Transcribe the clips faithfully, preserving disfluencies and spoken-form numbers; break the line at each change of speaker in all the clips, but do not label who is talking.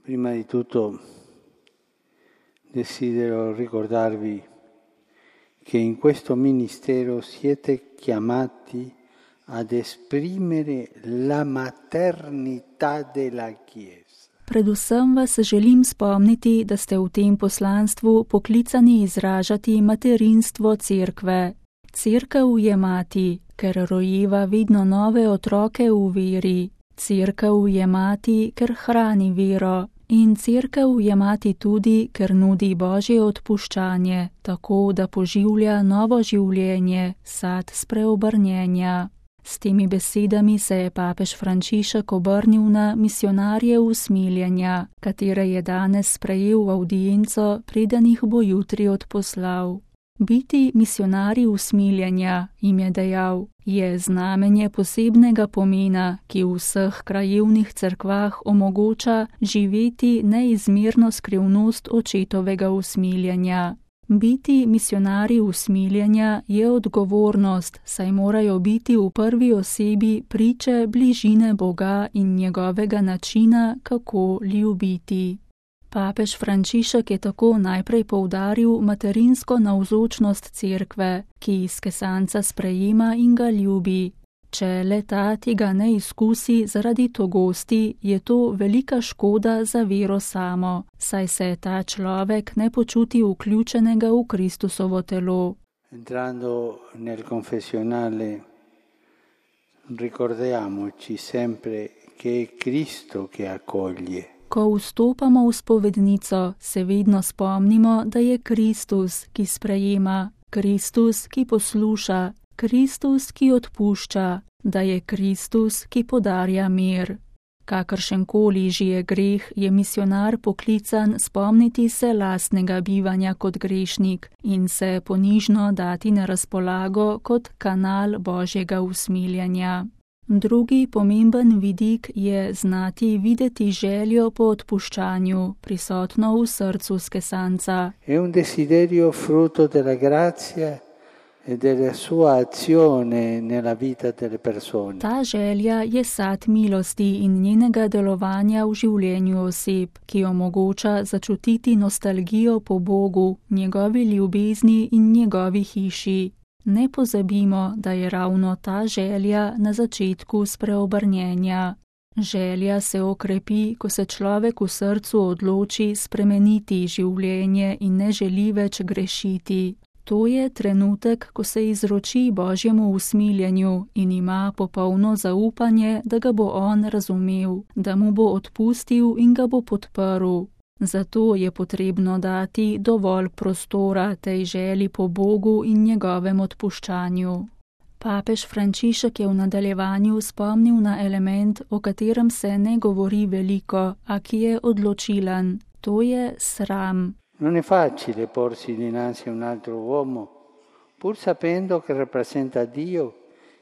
Prima di tutto desidero ricordarvi che in questo ministero siete chiamati ad esprimere la maternità della Chiesa.
Predvsem vas želim spomniti, da ste v tem poslanstvu poklicani izražati materinstvo cerkve. Cerkev je mati, ker rojeva vedno nove otroke v veri. Cerkev je mati, ker hrani vero. In cerkev je mati tudi, ker nudi Božje odpuščanje, tako da poživlja novo življenje, sad spreobrnjenja. S temi besedami se je papež Frančišek obrnil na misionarje usmiljenja, katere je danes sprejel v avdienco, preden jih bo jutri odposlal. Biti misionarji usmiljenja, jim je dejal, je znamenje posebnega pomena, ki v vseh krajevnih cerkvah omogoča živeti neizmerno skrivnost očetovega usmiljenja. Biti misionarji usmiljenja je odgovornost, saj morajo biti v prvi osebi priče bližine Boga in njegovega načina, kako ljubiti. Papež Frančišek je tako najprej poudaril materinsko navzočnost cerkve, ki izkesanca sprejema in ga ljubi. Če le ta tega ne izkusi zaradi togosti, je to velika škoda za vero samo, saj se ta človek ne počuti vključenega v Kristusovo telo.
Entrando nel confessionale, ricordiamoci sempre che è Cristo che accoglie.
Ko vstopamo v spovednico, se vedno spomnimo, da je Kristus, ki sprejema, Kristus, ki posluša, Kristus, ki odpušča, da je Kristus, ki podarja mir. Kakršenkoli že je greh, je misionar poklican spomniti se lastnega bivanja kot grešnik in se ponižno dati na razpolago kot kanal Božjega usmiljenja. Drugi pomemben vidik je znati videti željo po odpuščanju, prisotno v srcu skesanca.
È un desiderio frutto della grazia e della sua azione nella vita delle persone.
Ta želja je sad milosti in njenega delovanja v življenju oseb, ki omogoča začutiti nostalgijo po Bogu, njegovi ljubezni in njegovi hiši. Ne pozabimo, da je ravno ta želja na začetku spreobrnjenja. Želja se okrepi, ko se človek v srcu odloči spremeniti življenje in ne želi več grešiti. To je trenutek, ko se izroči Božjemu usmiljenju in ima popolno zaupanje, da ga bo on razumel, da mu bo odpustil in ga bo podprl. Zato je potrebno dati dovolj prostora tej želji po Bogu in njegovem odpuščanju. Papež Frančišek je v nadaljevanju spomnil na element, o katerem se ne govori veliko, a ki je odločilen. To je sram.
Non è facile porsi dinanzi a un altro uomo, pur sapendo che rappresenta Dio,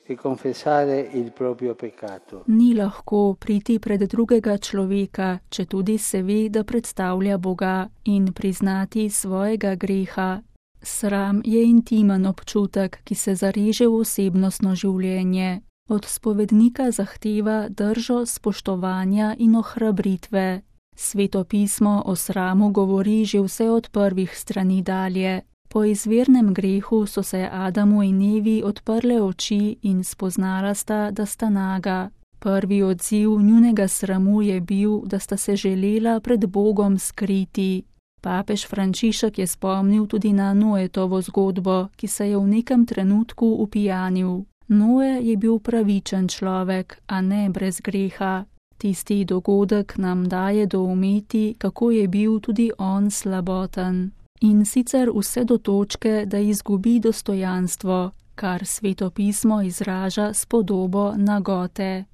e confessare il proprio peccato.
Ni lahko priti pred drugega človeka, če tudi se ve, da predstavlja Boga, in priznati svojega greha. Sram je intimen občutek, ki se zareže v osebnostno življenje. Od spovednika zahteva držo spoštovanja in ohrabritve. Sveto pismo o sramu govori že vse od prvih strani dalje. Po izvirnem grehu so se Adamu in Evi odprle oči in spoznala sta, da sta naga. Prvi odziv njunega sramu je bil, da sta se želela pred Bogom skriti. Papež Frančišek je spomnil tudi na Noetovo zgodbo, ki se je v nekem trenutku upijanil. Noe je bil pravičen človek, a ne brez greha. Tisti dogodek nam daje doumeti, kako je bil tudi on slaboten. In sicer vse do točke, da izgubi dostojanstvo, kar Sveto pismo izraža s podobo nagote.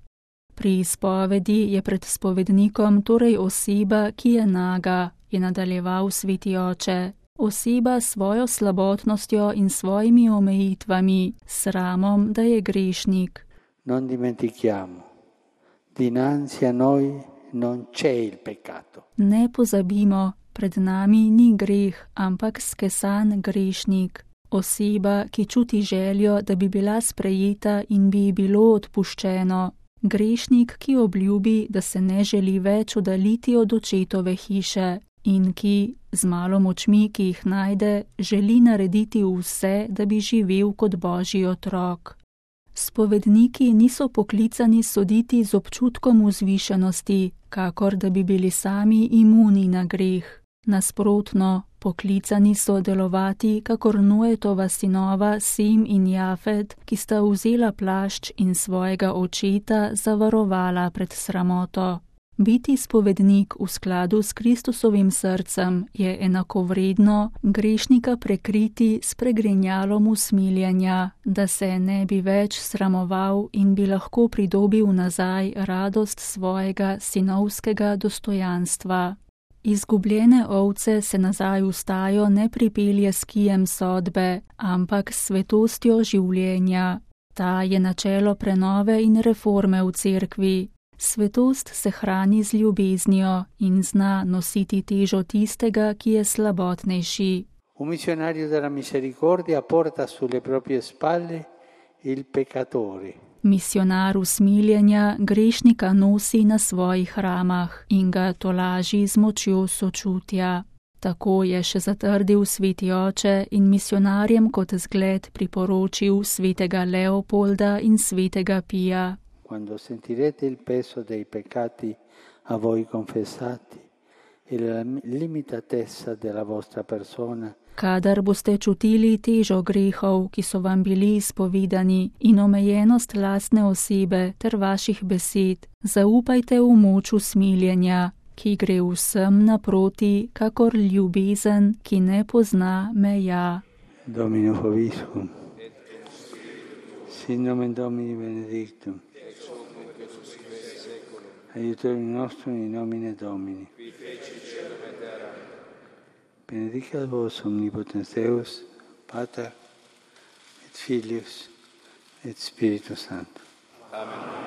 Pri izpovedi je pred spovednikom torej oseba, ki je naga, je nadaljeval sveti oče. Oseba s svojo slabotnostjo in svojimi omejitvami, sramom, da je grešnik.
Non dimentichiamo, dinanzi a noi non c'è il peccato.
Ne pozabimo, pred nami ni greh, ampak skesan grešnik. Oseba, ki čuti željo, da bi bila sprejeta in bi ji bilo odpuščeno. Grešnik, ki obljubi, da se ne želi več oddaljiti od očetove hiše in ki, z malo močmi, ki jih najde, želi narediti vse, da bi živel kot Božji otrok. Spovedniki niso poklicani soditi z občutkom vzvišenosti, kakor da bi bili sami imuni na greh. Nasprotno, poklicani so delovati kakor Noetova sinova Sem in Jafet, ki sta vzela plašč in svojega očeta zavarovala pred sramoto. Biti spovednik v skladu s Kristusovim srcem je enakovredno grešnika prekriti s pregrinjalom usmiljenja, da se ne bi več sramoval in bi lahko pridobil nazaj radost svojega sinovskega dostojanstva. Izgubljene ovce se nazaj v stajo ne pripelje s kijem sodbe, ampak s svetostjo življenja. Ta je načelo prenove in reforme v cerkvi. Svetost se hrani z ljubeznijo in zna nositi težo tistega, ki je slabotnejši.
Un missionario della misericordia porta sulle proprie spalle il peccatore.
Misionar usmiljenja grešnika nosi na svojih ramah in ga tolaži z močjo sočutja. Tako je še zatrdil sveti oče in misionarjem kot zgled priporočil svetega Leopolda in svetega Pija.
Quando sentirete il peso dei peccati a voi confessati e la limitatezza della vostra persona,
kadar boste čutili težo grehov, ki so vam bili izpovedani, in omejenost lastne osebe ter vaših besed, zaupajte v moč usmiljenja, ki gre vsem naproti, kakor ljubezen, ki ne pozna meja.
Domino vobiscum. Sin nomen Domini benedictum. Aiutorium nostrum in nomine Domini. Benedicat vos omnipotens Deus, Pater et Filius et Spiritus Sanctus. Amen.